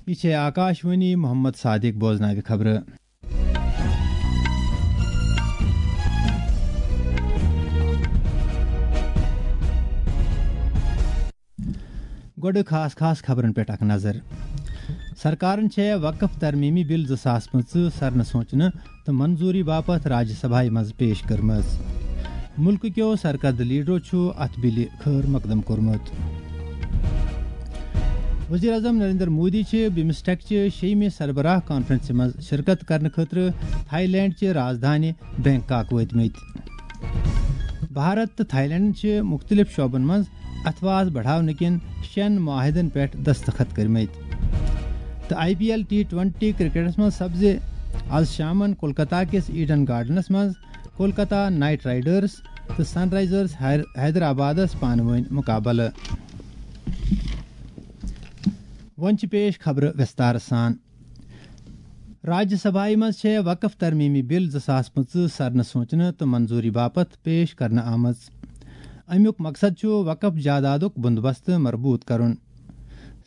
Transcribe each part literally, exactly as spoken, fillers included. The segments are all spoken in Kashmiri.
یہِ چھے آکاشوانی، محمد صادق بوزناوِ خبرٕ۔ گۄڈٕ خاص خاص خبرن پٮ۪ٹھ اکھ نظر۔ سرکارن چھےٚ وقف ترمیمی بل زٕ ساس پٕنٛژٕہ سرنہٕ سونچنہٕ تہٕ منظوری باپتھ راجیہ سبھایہ منٛز پیش کٔرمٕژ۔ ملکہٕ کیو سرکردٕ لیڈرو چھُ اتھ بلہِ خٲر مقدم کوٚرمُت۔ وزیر اعظم نریندر مودی چھِ بمسٹیک چہِ شیٚیمہِ سربراہ کانفرنسہِ منٛز شرکت کرنہٕ خٲطرٕ تھائی لینڈ چہِ راجدھانی بینکاک وٲتمٕتۍ۔ بھارت تہٕ تھائی لینڈن چھِ مُختٔلِف شعبن منٛز اتھواس بڑاونہٕ کٮ۪ن شٮ۪ن معاہدن پٮ۪ٹھ دستخط کٔرمٕتۍ۔ تہٕ I P L T twenty کرکٹس منٛز سپزِ از شامن کولکتہ کِس ایڈن گارڈنس منٛز کولکتہ نائٹ رائیڈرز تہٕ سن رائزرز حیر-، حیدرآبادس پانہٕ وٲنۍ مقابلہٕ۔ وۄنۍ چھِ پیش خبرٕ وِستار سان۔ راجیہ سبھایہ منٛز چھےٚ وقف ترمیمی بل زٕ ساس پٕنٛژٕہ سرنہٕ سونچنہٕ تہٕ منظوری باپتھ پیش کرنہٕ آمٕژ۔ امیُک مقصد چھُ وقف جائیدادُک بندوبست مربوط کرُن۔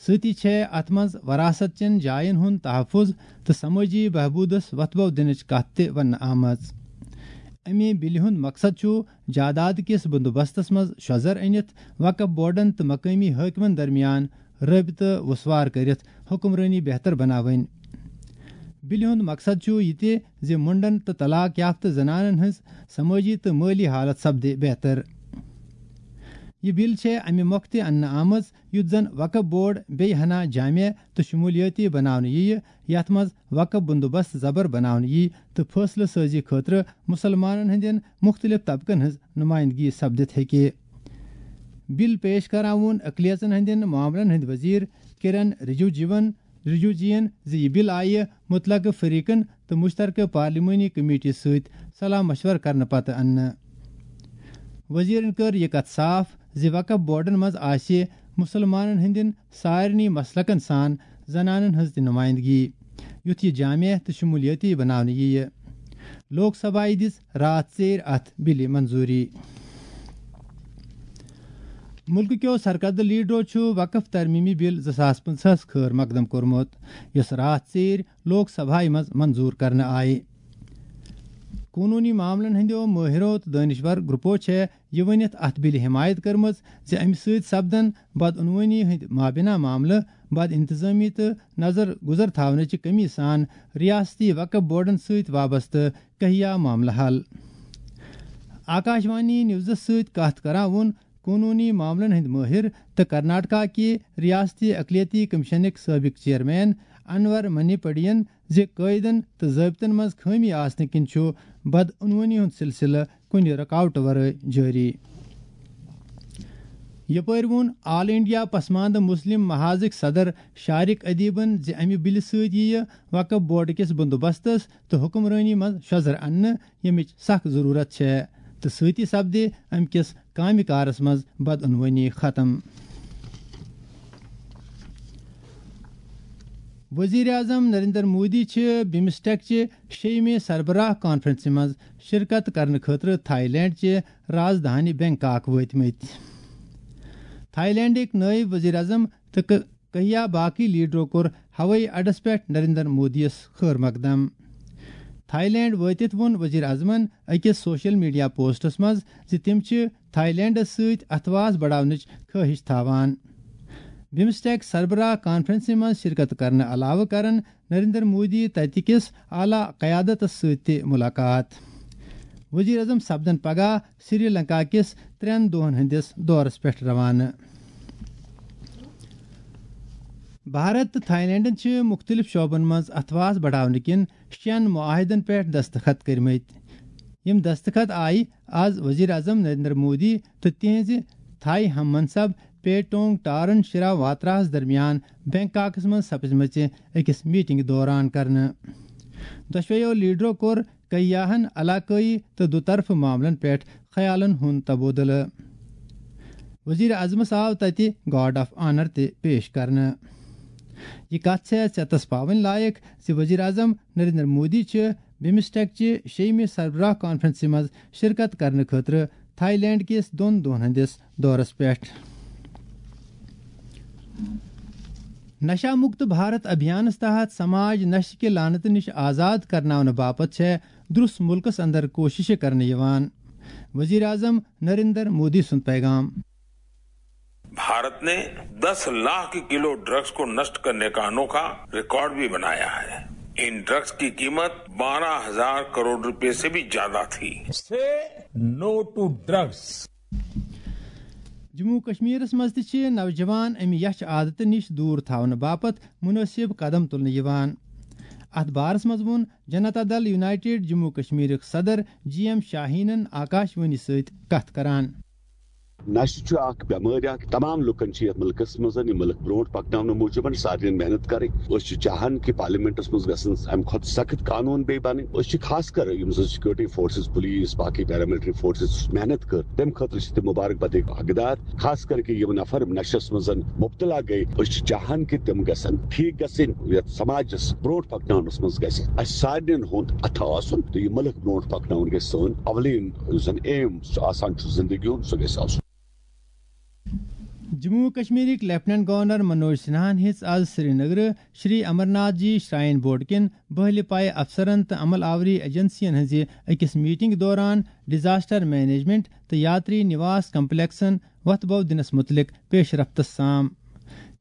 سۭتی چھےٚ اتھ منٛز وراثت چٮ۪ن جاین ہُنٛد تحفظ تہٕ سمٲجی بہبوٗدس وۄتھٕ بو دِنٕچ کتھ تہِ وننہٕ آمٕژ۔ اَمہِ بِلہِ ہُنٛد مقصد چھُ جائیداد کِس بندوبستس منٛز شۄزر أنِتھ وقف بورڈن تہٕ مقٲمی حٲکمن درمیان رٲبطہٕ وسوار کٔرِتھ حکمرٲنی بہتر بناوٕنۍ۔ بِلہِ ہُنٛد مقصد چھُ یہِ تہِ زِ مُنڈن تہٕ طلاق یافتہٕ زنانن ہٕنٛز سمٲجی تہٕ مٲلی حالت سپدِ بہتر۔ یہِ بِل چھےٚ اَمہِ مۄکھٕ تہِ اننہٕ آمٕژ یُتھ زن وقف بورڈ بیٚیہِ ہنا جامع تہٕ شمولیٲتی بناونہٕ یِیہِ، یتھ منٛز وقف بندوبست زبر بناونہٕ یِیہِ تہٕ فٲصلہٕ سٲزی خٲطرٕ مُسلمانن ہٕنٛدٮ۪ن مُختٔلِف طبقن ہٕنٛز نُمٲیندگی سپدِتھ ہیٚکہِ۔ بِل پیش کران ووٚن اقلیژن ہٕنٛدٮ۪ن معاملن ہٕنٛدۍ وزیر کِرن رِجوجیون، رِجوجیَن زِ یہِ بِل آیہِ مُتلقہٕ فریقن تہٕ مُشترکہٕ پارلیمٲنی کمیٹی سۭتۍ صلاح مشورٕ کرنہٕ پتہٕ اننہٕ۔ وزیرن کٔر یہِ کتھ صاف زِ وقف بورڈن منٛز آسہِ مُسلمانن ہٕنٛدٮ۪ن سارنٕے مسلکن سان زنانن ہٕنٛز تہِ نُمٲیندگی، یُتھ یہِ جامع تہٕ شمولیٲتی بناونہٕ یِیہِ۔ لوک سبھایہ دِژ راتھ ژیٖرۍ اتھ بِلہِ منظوری۔ مُلکہٕ کیو سرکردٕ لیڈرو چھُ وقف ترمیمی بِل زٕ ساس پٕنٛژٕہس خٲر مقدم کوٚرمُت، یۄس راتھ ژیٖرۍ لوک سبھایہ منٛز منظور کرنہٕ آیہِ۔ قونوٗنی معاملن ہٕنٛدیو مٲہرو تہٕ دٲنشور گروپو چھےٚ یہِ ؤنِتھ اتھ بِلہِ حمایت کٔرمٕژ زِ امہِ سۭتۍ سپدن بدعنوٲنی ہٕنٛدۍ مابینا معاملہٕ، بد انتظامی تہٕ نظر گُزر تھاونٕچہِ کمی سان ریاستی وقف بورڈن سۭتۍ وابستہٕ کہیا معاملہٕ حل۔ آکاشوانی نیوزس سۭتۍ کتھ کران ووٚن قونوٗنی معاملن ہٕنٛدۍ مٲہر تہٕ کرناٹکا کہِ ریاستی اقلیتی کمیشنٕکۍ سٲبق چیئرمین انور منی پڑین زِ قٲیدن تہٕ ضٲبطن منٛز خٲمی آسنہٕ کِنۍ چھُ بدعنوٲنی ہُنٛد سلسلہٕ کُنہِ رُکاوٹہٕ ورٲے جٲری۔ یپٲرۍ ووٚن آل انڈیا پسماندٕ مسلم محاذٕکۍ صدر شارق ادیبن زِ امہِ بِلہِ سۭتۍ یِیہِ وقف بورڈ کِس بندوبستس تہٕ حکمرٲنی منٛز شۄزر اننہٕ، ییٚمِچ سخ ضروٗرت چھےٚ، تہٕ سۭتی سپدِ امہِ کِس کامہِ کارس منٛز بدعنوٲنی ختم۔ وزیر اعظم نریندر مودی چھِ بمسٹیک چہِ شیٚیمہِ سربراہ کانفرنسہِ منٛز شرکت کرنہٕ خٲطرٕ تھائی لینڈ چہِ راجدھانی بینکاک وٲتمٕتۍ۔ تھائی لینڈٕکۍ نٲیِب وزیر اعظم تہٕ ک-، کہیا باقی لیڈرو کوٚر ہوٲیی اڈس پٮ۪ٹھ نریندر مودیَس خٲر مقدم۔ تھائی لینڈ وٲتِتھ ووٚن وزیر اعظمن أکِس سوشل میڈیا پوسٹس منٛز زِ تِم چھِ تھائی لینڈس سۭتۍ اتھواس بڑاونٕچ خٲہِش تھاوان۔ بمسٹیک سربراہ کانفرنسہِ منٛز شرکت کرنہٕ علاوٕ کرن نریندر مودی تتہِ کِس اعلیٰ قیادتس سۭتۍ تہِ ملاقات۔ وزیر اعظم سپدن پگاہ سری لنکا کِس ترٛٮ۪ن دۄہن ہٕنٛدِس دورس پٮ۪ٹھ روانہٕ۔ بھارت تہٕ تھائی لینڈن چھِ مُختٔلِف شعبن منٛز اتھواس بڑاونہٕ کِنۍ شٮ۪ن معاہدن پٮ۪ٹھ دستخط کٔرمٕتۍ۔ یِم دستخط آیہِ از وزیر اعظم نریندر مودی تہٕ تِہنٛزِ تھائی ہم منصب پیٹونگ ٹارن شرا واتراہس درمیان بینکاکس منٛز سپزمٕژِ أکِس میٹنگ دوران کرنہٕ۔ دۄشویو لیڈرو کوٚر کیاہن علاقٲیی تہٕ دُطرفہٕ معاملن پٮ۪ٹھ خیالن ہُنٛد تبادلہٕ۔ وزیر اعظمس آو تتہِ گارڈ آف آنر تہِ پیش کرنہٕ۔ یہِ کتھ چھےٚ ژیتس پاوٕنۍ لایق زِ وزیر اعظم نریندر مودی چھِ بمسٹیک چہِ شیٚیمہِ سربراہ کانفرنسہِ منٛز شرکت کرنہٕ خٲطرٕ تھائی لینڈ کِس دۄن دۄہن ہٕنٛدِس دورس پٮ۪ٹھ۔ نشہ مکت بھارت ابھیانس تحت سماج نشہ کہِ لعنتہٕ نِش آزاد کرناونہٕ باپتھ چھےٚ درس ملکس اندر کوششہٕ کرنہٕ یِوان۔ وزیر اعظم نریندر مودی سُنٛد پیغام۔ भारत ने दस लाख किलो ड्रग्स को नष्ट करने का अनोखा रिकॉर्ड भी बनाया है। इन ड्रग्स की कीमत बारह हजार करोड़ रुपए से भी ज्यादा थी। Say no to drugs. Jammu کشمیرس منٛز تہِ چھِ نوجوان امہِ یچھ عادتہٕ نِش دوٗر تھاونہٕ باپتھ مُنٲسِب قدم تُلنہٕ یِوان۔ اتھ بارس منٛز ووٚن جنتا دل یونائیٹڈ جموں کشمیرُک صدر جی ایم شاہینن آکاشوانی سۭتۍ کتھ کران۔ نشہٕ چھُ اکھ بٮ۪مٲرۍ اکھ۔ تمام لُکن چھِ یتھ مُلکس منٛز یہِ مُلک برونٛٹھ پکناونہٕ موٗجوٗب سارنٕے محنت کرٕنۍ۔ أسۍ چھِ چاہان کہِ پارلیمنٹس منٛز گژھن امہِ کھۄتہٕ سخت قانوٗن بیٚیہِ بنٕنۍ۔ أسۍ چھِ خاص کر یِم زن سیکورٹی فورسز، پولیس، باقٕے پیراملٹری فورسز محنت کٔر، تمہِ خٲطرٕ چھِ تِم مبارک بدٕکۍ حقدار۔ خاص کر کہِ یِم نفر نشس منٛز مبتلا گٔے، أسۍ چھِ چاہان کہِ تِم گژھن ٹھیٖک گژھٕنۍ، یتھ سماجس برونٛٹھ پکناونس منٛز گژھِ اسہِ سارنٕے ہُنٛد اتھٕ آسُن تہٕ یہِ مُلک برونٛٹھ پکناوُن گژھِ سٲنۍ اولین یُس زن ایم آسان چھُ زندگی ہُنٛد، سُہ گژھِ آسُن۔ جموں و کشمیرٕکۍ لیفٹیننٹ گورنر منوج سنہاہن ہیٚژ آز سرینگرٕ شری امرناتھ جی شراین بورڈ کٮ۪ن بہلہِ پایہِ افسرن تہٕ عمل آوری ایجنسین ہٕنٛزِ أکِس میٹنگ دوران ڈیزاسٹر مینجمنٹ تہٕ یاتری نواس کمپلیکسن وۄتھٕ بو دِنس مُتعلق پیش رفتس سام۔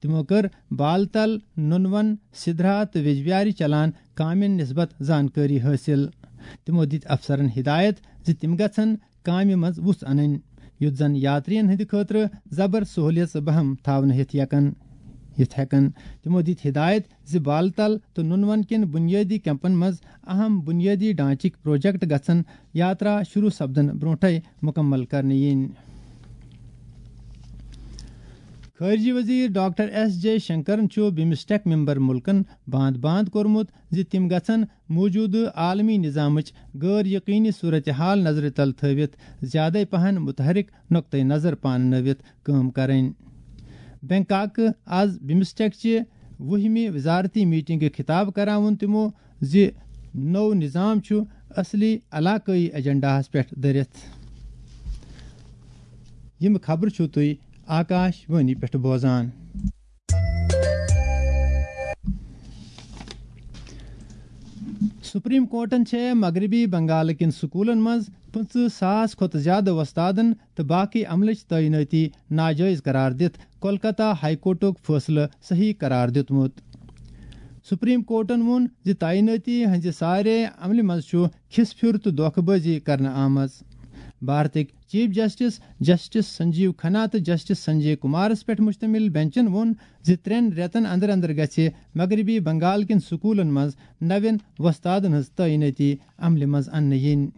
تِمو کٔر بال تل، نُنون، سدرا تہٕ ویجبیارِ چلان کامٮ۪ن نسبت زانکٲری حٲصِل۔ تِمو دِتۍ افسرن ہدایت زِ تِم گژھن کامہِ منٛز وُژھ انٕنۍ، یُتھ زن یاترین ہٕنٛدِ خٲطرٕ زبر سہولیژ بہم تھاونہٕ ہیتھ یکن یتھ ہیکن۔ تِمو دِتۍ ہدایت زِ بالتل تہٕ نُنون کٮ۪ن بُنیٲدی کیمپن منٛز اہم بُنیٲدی ڈھانچٕکۍ پروجیکٹ گژھن یاترا شروع سپدن برونٹھے مُکمل کرنہٕ یِنۍ۔ خارجہ وزیر ڈاکٹر ایس جے شنکرن چھُ بمسٹیک ممبر ملکن باند باند کوٚرمُت زِ تِم گژھن موجودٕ عالمی نظامٕچ غٲر یقینی صورتحال نظرِ تل تھٲوِتھ زیادے پہن متحرک نقطہ نظر پاننٲوِتھ کٲم کرٕنۍ۔ بینکاک، از بمسٹیک چہِ وُہمہِ وزارتی میٹنگہِ خطاب کران ووٚن تِمو زِ نوٚو نظام چھُ اصلی علاقٲیی ایجنڈاہس پٮ۪ٹھ دٔرِتھ۔ یِم خبرٕ چھِو تُہۍ آکاش وانی پٮ۪ٹھ بوزان۔ سپریم کورٹن چھےٚ مغربی بنگال کٮ۪ن سکوٗلن منٛز پٕنٛژٕہ ساس کھۄتہٕ زِیٛادٕ وۄستادن تہٕ باقٕے عملٕچ تعینٲتی ناجٲیز قرار دِتھ کولکتہ ہائی کورٹُک فٲصلہٕ صحیح قرار دِیُتمُت۔ سپریم کورٹن ووٚن زِ تعینٲتی ہٕنٛزِ سارے عملہِ منٛز چھُ کھِس پھِر تہٕ دھوکہٕ بٲزی کرنہٕ آمٕژ۔ بھارتٕکۍ چیف جسٹس جسٹس سنجیو کھنا تہٕ جسٹس سنجے کمارس پٮ۪ٹھ مشتمل بینچن ووٚن زِ ترٛٮ۪ن رٮ۪تن اندر اندر گژھِ مغربی بنگال کٮ۪ن سکوٗلن منٛز نوٮ۪ن وۄستادن ہٕنٛز تعینٲتی عملہِ منٛز اننہٕ یِنۍ۔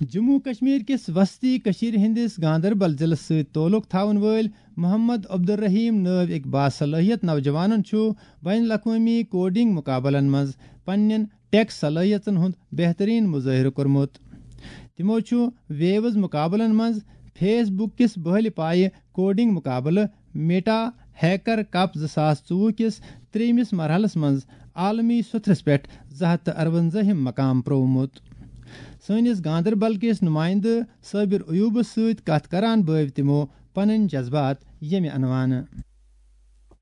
جموں و کشمیر کِس وسطی کشمیر ہٕنٛدِس گاندربل ضلعس سۭتۍ تعلق تھاون وٲلۍ محمد عبدالرحیم نٲوۍ أکۍ باصلٲحیت نوجوانن چھُ بین الاقوٲمی کوڈنگ مقابلن منٛز پننٮ۪ن ٹیک صلٲحیژن ہُنٛد بہترین مظٲہرٕ کوٚرمُت۔ تِمو چھُ ویوز مقابلن منٛز فیس بک کِس بہلہِ پایہِ کوڈنگ مقابلہٕ میٹا ہیکر کپ زٕ ساس ژوٚوُہ کِس ترٛیٚیمِس مرحلس منٛز عالمی سوٚتھرس پٮ۪ٹھ زٕ ہتھ تہٕ ارونزٲہِم مقام پرٛوومُت۔ سٲنِس گاندربل کِس نُمایندٕ صابر ایوبس سۭتۍ کتھ کران بٲوۍ تِمو پنٕنۍ جذبات ییٚمہِ عنوانہٕ۔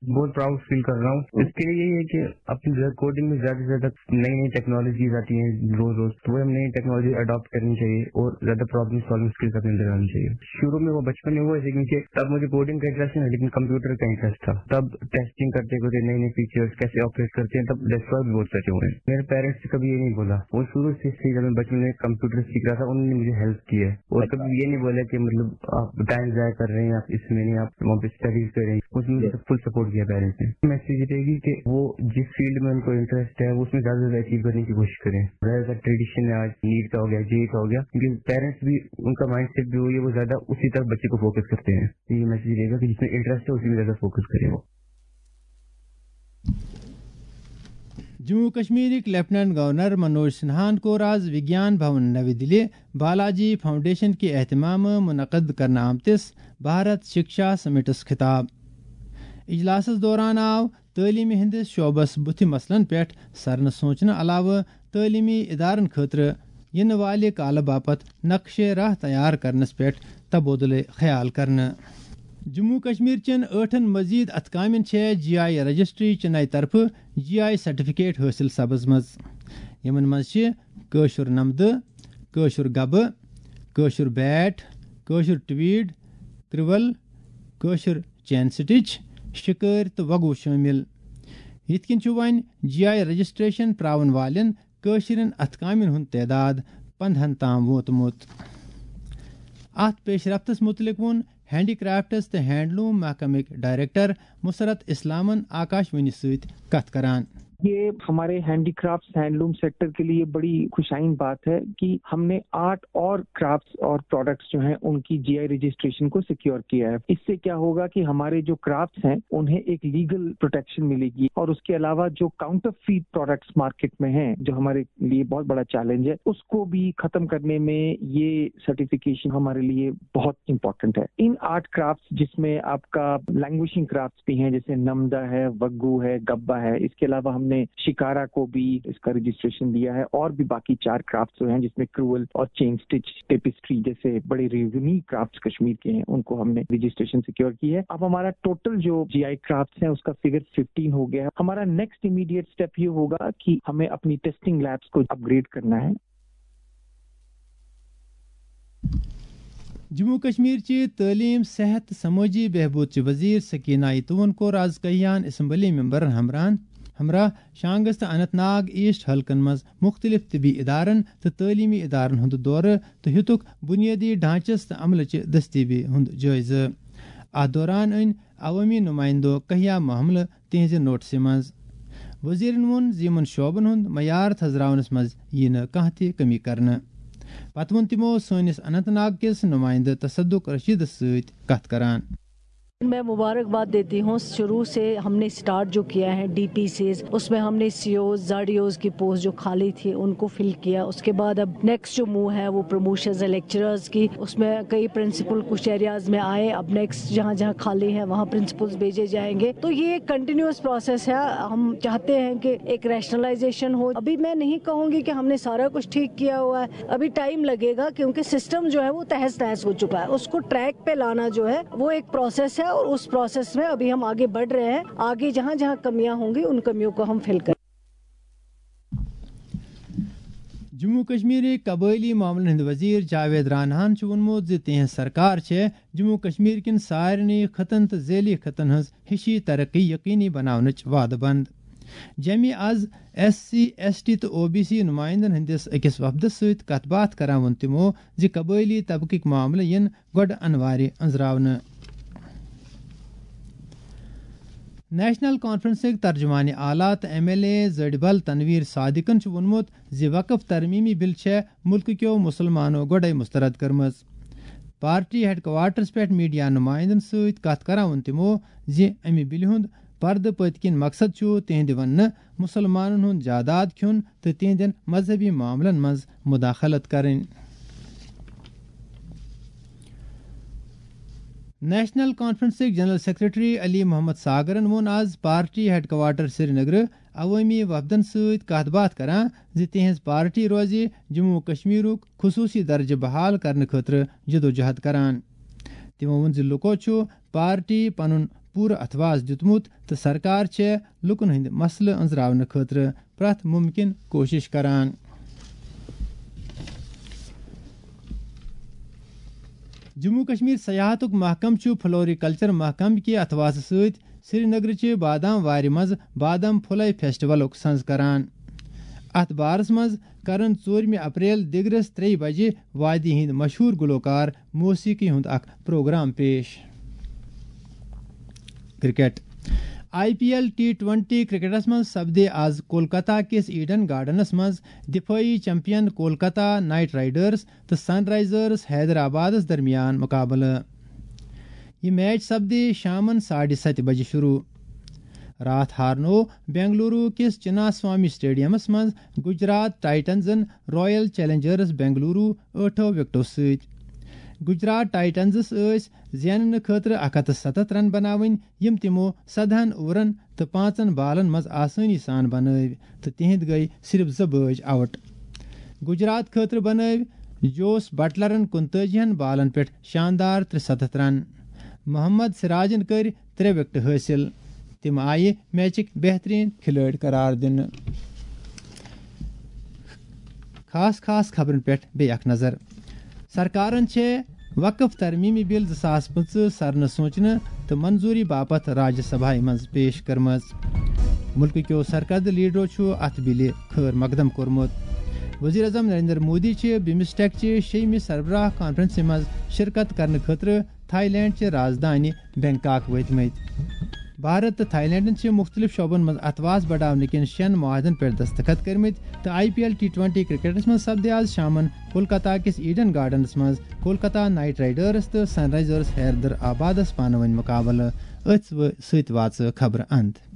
बहुत प्राउड फील कर रहा हूँ। इसके लिए यही है कि अपनी कोडिंग में ज्यादा से ज्यादा नई नई टेक्नोलॉजीज आती हैं रोज रोज, तो वो हम नई टेक्नोलॉजी अडॉप्ट करनी चाहिए और ज्यादा प्रॉब्लम सॉल्विंग स्किल्स अपने अंदर आनी चाहिए। शुरू में वो बचपन में वो है, लेकिन कि तब मुझे कोडिंग का इंटरेस्ट नहीं, लेकिन कंप्यूटर का इंटरेस्ट था। तब टेस्टिंग करते करते नए नए फीचर्स कैसे ऑपरेट करते हैं, तब डिस्ट्रॉय भी बहुत सारे हुए हैं। मेरे पेरेंट्स ने कभी ये नहीं बोला, वो शुरू से सीखा। मैं बचपन में कंप्यूटर सीख रहा था, उन्होंने मुझे हेल्प की है। और कभी ये नहीं बोला कि मतलब आप टाइम जाया कर रहे हैं, आप इसमें नहीं, आप वहाँ पे स्टडीज कर रहे हैं। उसमें मुझे फुल सपोर्ट किया पेरेंट्स ने। मैसेज रहेगी कि वो जिस फील्ड में उनको इंटरेस्ट है, वो उसमें ज्यादा से ज्यादा अचीव करने की कोशिश करें। ज्यादातर ट्रेडिशन है आज, नीट का हो गया, जेई का हो गया, क्योंकि पेरेंट्स भी, उनका माइंडसेट भी वही है, वो ज्यादा उसी तरफ बच्चे को फोकस करते हैं। ये मैसेज रहेगा कि जिसमें इंटरेस्ट है, उसी में ज्यादा फोकस करें वो। جموں و کشمیرٕکۍ لیفٹیننٹ گورنر منوج سنہاہن کوٚر آز وگیان بھون نَوِ دِلہِ بالاجی فاؤنڈیشن کہِ اہتمامہٕ منعقد کرنہٕ آمتِس بھارت شکشا سمٹس خطاب۔ اجلاسس دوران آو تعلیمہِ ہٕنٛدِس شعبس بُتھِ مسلن پٮ۪ٹھ سرنہٕ سونچنہٕ علاوٕ تعلیمی ادارن خٲطرٕ یِنہٕ والہِ کالہٕ باپتھ نقشے راہ تیار کرنس پٮ۪ٹھ تبادلہٕ خیال کرنہٕ۔ جموں کشمیر چٮ۪ن ٲٹھن مزید اتھٕ کامٮ۪ن چھےٚ جی آئی رجسٹری چنئی طرفہٕ جی آئی سرٹیفکیٹ حٲصِل سبز منٛز۔ یِمن منٛز چھِ کٲشُر نمدٕ، کٲشُر گبہٕ، کٲشُر بیٹ، کٲشُر ٹویٖڈ، کرٛول، کٲشُر چین سٹچ، شِکٲرۍ تہٕ وگو شٲمِل۔ یِتھ کٔنۍ چھُ وۄنۍ جی آئی رجسٹریشن پراون والٮ۪ن کٲشرٮ۪ن اتھٕ کامٮ۪ن ہُنٛد تعداد پندہن تام ووتمُت۔ اتھ پیش رفتس مُتعلق ووٚن ہینڈی کرافٹس تہٕ ہینڈلوم محکمٕکۍ ڈائریکٹر مسرت اسلامن آکاشوانی سۭتۍ کتھ کران۔ یہ ہمارے ہینڈی کرافٹس ہینڈلوم سیکٹر کے لیے بڑی خوش آئند بات ہے کہ ہم نے آرٹ اور کرافٹس اور پروڈکٹس جو ہیں ان کی جی آئی رجسٹریشن کو سیکیور کیا ہے۔ اس سے کیا ہوگا کہ ہمارے جو کرافٹس ہیں انہیں ایک لیگل پروٹیکشن ملے گی اور اس کے علاوہ جو کاؤنٹر فیٹ پروڈکٹس مارکیٹ میں ہیں جو ہمارے لیے بہت بڑا چیلنج ہے اس کو بھی ختم کرنے میں یہ سرٹیفکیشن ہمارے لیے بہت امپورٹنٹ ہے۔ ان آرٹ کرافٹس جس میں آپ کا لینگویشنگ کرافٹس بھی ہیں جیسے نمدہ ہے، وگو ہے، گبا ہے، اس کے علاوہ ہم نے شکارا کو بھی اس کا رجسٹریشن دیا ہے اور بھی باقی چار کرافٹس جو ہیں جس میں کرول اور چین سٹچ ٹیپسٹری جیسے بڑے یونیک کرافٹس کشمیر کے ہیں ان کو ہم نے رجسٹریشن سیکیور کی ہے۔ اب ہمارا ٹوٹل جو جی آئی کرافٹس ہیں اس کا فگر ففٹین ہو گیا ہے۔ ہمارا نیکسٹ امیڈیٹ اسٹیپ یہ ہوگا کہ ہمیں اپنی ٹیسٹنگ لیبس کو اپ گریڈ کرنا ہے۔ جموں کشمیر چہِ تعلیٖم، صحت تہٕ سمٲجی بہبود چہِ وزیر سکینہ ایتوون کوٚر از کہیان اسمبلی ممبرن ہمراہن ہمراہ شانگس تہٕ اننت ناگ ایسٹ حلقن منٛز مختلف طبی ادارن تہٕ تعلیمی ادارن ہُنٛد دورٕ تہٕ ہیٚتُکھ بنیٲدی ڈھانچس تہٕ عملہٕ چہِ دستیابی ہُنٛد جٲیزٕ۔ اتھ دوران أنۍ عوٲمی نمائندو کہیا معاملہٕ تہنٛزِ نوٹسہِ منٛز۔ وزیرن ووٚن زِ یِمن شعبن ہُنٛد معیار تھزراونس منٛز یِیہِ نہٕ کانٛہہ تہِ کمی کرنہٕ۔ پتہٕ ووٚن تِمو سٲنِس اننت ناگ کِس نمائندٕ تصدق رشیدس سۭتۍ کتھ کران۔ میں مبارکباد دیتی ہوں۔ شروع سے ہم نے اسٹارٹ جو کیا ہے ڈی پی سیز، اس میں ہم نے سی اوز، زڈ ای اوز کی پوسٹ جو خالی تھی ان کو فل کیا۔ اس کے بعد اب نیکسٹ جو موو ہے وہ پروموشنز ہے لیکچررز کی، اس میں کئی پرنسپل کچھ ایریاز میں آئے، اب نیکسٹ جہاں جہاں خالی ہیں وہاں پرنسپلز بھیجے جائیں گے۔ تو یہ ایک کنٹینیوس پروسیس ہے۔ ہم چاہتے ہیں کہ ایک ریشنلائزیشن ہو۔ ابھی میں نہیں کہوں گی کہ ہم نے سارا کچھ ٹھیک کیا ہوا ہے، ابھی ٹائم لگے گا کیونکہ سسٹم جو ہے وہ تہز تہز ہو چکا ہے۔ اس کو ٹریک پہ لانا جو ہے وہ ایک پروسیس ہے اور اس پروسیس میں ابھی ہم آگے بڑھ رہے ہیں۔ آگے جہاں جہاں کمیاں ہوں گی ان کمیوں کو ہم فل کریں۔ جموں کشمیر قبٲئلی معاملن ہٕنٛدۍ وزیر جاوید راناہن چھُ ووٚنمُت زِ تِہنٛز سرکار چھےٚ جموں کشمیر کٮ۪ن سارنٕے خطن تہٕ ذیلی خطن ہٕنٛز ہِشی ترقی یقینی بناونٕچ وعدٕ بنٛد۔ جیٚمہِ از ایس سی، ایس ٹی تہٕ او بی سی نمائندن ہٕنٛدِس أکِس وفدس سۭتۍ کتھ باتھ کران ووٚن تِمو زِ قبٲئلی طبقٕکۍ معاملہٕ یِن گۄڈٕ انوارِ أنٛزراونہٕ۔ نیشنل کانفرنسٕکۍ ترجمان اعلیٰ تہٕ ایم ایل اے زٔڈۍ بل تنویر صادقن چھُ ووٚنمُت زِ وقف ترمیمی بل چھےٚ مُلکہٕ کیو مُسلمانو گۄڈَے مسترد کٔرمٕژ۔ پارٹی ہیڈ کوارٹرس پٮ۪ٹھ میڈیا نمائندن سۭتۍ کتھ کران ووٚن تِمو زِ امہِ بلہِ ہُنٛد پردٕ پٔتۍ کِنۍ مقصد چھُ تِہنٛدِ وننہٕ مُسلمانن ہُنٛد جاداد کھیوٚن تہٕ تِہنٛدٮ۪ن مذہبی معاملن منٛز مداخلت کرٕنۍ۔ نیشنل کانفرنسٕکۍ جنرل سیکرٹری علی محمد ساگرن ووٚن آز پارٹی ہیڈ کوارٹر سرینگرٕ عوٲمی وفدن سۭتۍ کتھ باتھ کران زِ تِہنٛز پارٹی روزِ جموں و کشمیرُک خصوٗصی درجہٕ بحال کرنہٕ خٲطرٕ جدوجہد کران۔ تِمو ووٚن زِ لوٗکو چھُ پارٹی پنُن پوٗرٕ اتھواز دیُتمُت تہٕ سرکار چھےٚ لوٗکن ہٕنٛدۍ مسلہٕ أنٛزراونہٕ خٲطرٕ پرٛٮ۪تھ مُمکِن کوٗشِش کران۔ جموں کشمیر سیاحتُک محکمہٕ چھُ فلوریکلچر محکمہٕ کہِ اتھوازٕ سۭتۍ سرینگرٕچہِ بادام وارِ منٛز بادام پھُلے فیسٹیولُک سنز کران۔ اتھ بارس منٛز کرن ژوٗرمہِ اپریل دِگرس ترٛیٚیہِ بجہِ وادی ہٕنٛدۍ مشہوٗر گلوکار موسیقی ہُنٛد اکھ پروگرام پیش۔ Cricket. I P L T twenty کرکٹس منٛز سپدِ آز کولکتہ کِس ایڈن گارڈنس منٛز دفٲعی چیمپین کولکتہ نائٹ رائیڈرز تہٕ سن رائزرز حیدرآبادس درمیان مقابلہٕ۔ یہِ میچ سپدِ شامن ساڑِ ستہِ بجہِ شروع۔ راتھ ہارنوو بنگلورو کِس چنا سوامی اسٹیڈیمس منٛز گجرات ٹائٹنزن رائل چیلنجرز بنگلورو ٲٹھو وکٹو سۭتۍ۔ گجرات ٹائٹنزس ٲسۍ زیننہٕ خٲطرٕ اکھ ہتھ تہٕ ستتھ رن بناوٕنۍ، یِم تِمو سدہن اوورن تہٕ پانٛژن بالن منٛز آسٲنی سان بنٲوۍ تہٕ تِہنٛدۍ گٔیۍ صرف زٕ بٲج آؤٹ۔ گجرات خٲطرٕ بنٲوۍ جوس بٹلرن کُنتٲجی ہن بالن پٮ۪ٹھ شاندار ترٛےٚ ستتھ رن۔ محمد سراجن کٔرۍ ترٛےٚ وکٹہٕ حٲصِل۔ تِم آیہِ میچٕکۍ بہتریٖن کھلٲڑۍ قرار دِنہٕ۔ خاص خاص خبرن پٮ۪ٹھ بیٚیہِ اکھ نظر۔ سرکارن چھےٚ وقف ترمیمی بل زٕ ساس پٕنٛژٕہ سرنہٕ سونچنہٕ تہٕ منظوری باپتھ راجیہ سبھایہ منٛز پیش کٔرمٕژ۔ مُلکہٕ کیو سرکردٕ لیڈرو چھُ اتھ بلہِ خٲر مقدم کوٚرمُت۔ وزیر اعظم نریندر مودی چھِ بمسٹیک چہِ شیٚیمہِ سربراہ کانفرنسہِ منٛز شرکت کرنہٕ خٲطرٕ تھائی لینڈ چہِ رازدانہِ بینکاک وٲتمٕتۍ۔ بھارت تہٕ تھائی لینڈن چھِ مُختٔلِف شعبن منٛز اتھواس بڑاونہٕ کٮ۪ن شٮ۪ن معاہدن پٮ۪ٹھ دستخط کٔرمٕتۍ تہٕ I P L T twenty کرکٹس منٛز سپدِ آز شامن کولکتہ کِس ایڈن گارڈنس منٛز کولکتہ نائٹ رائیڈرز تہٕ سن رائزرز حیدر آبادس پانہٕ ؤنۍ مقابلہٕ۔ أتھۍ سۭتۍ واتہِ خبرٕ اند۔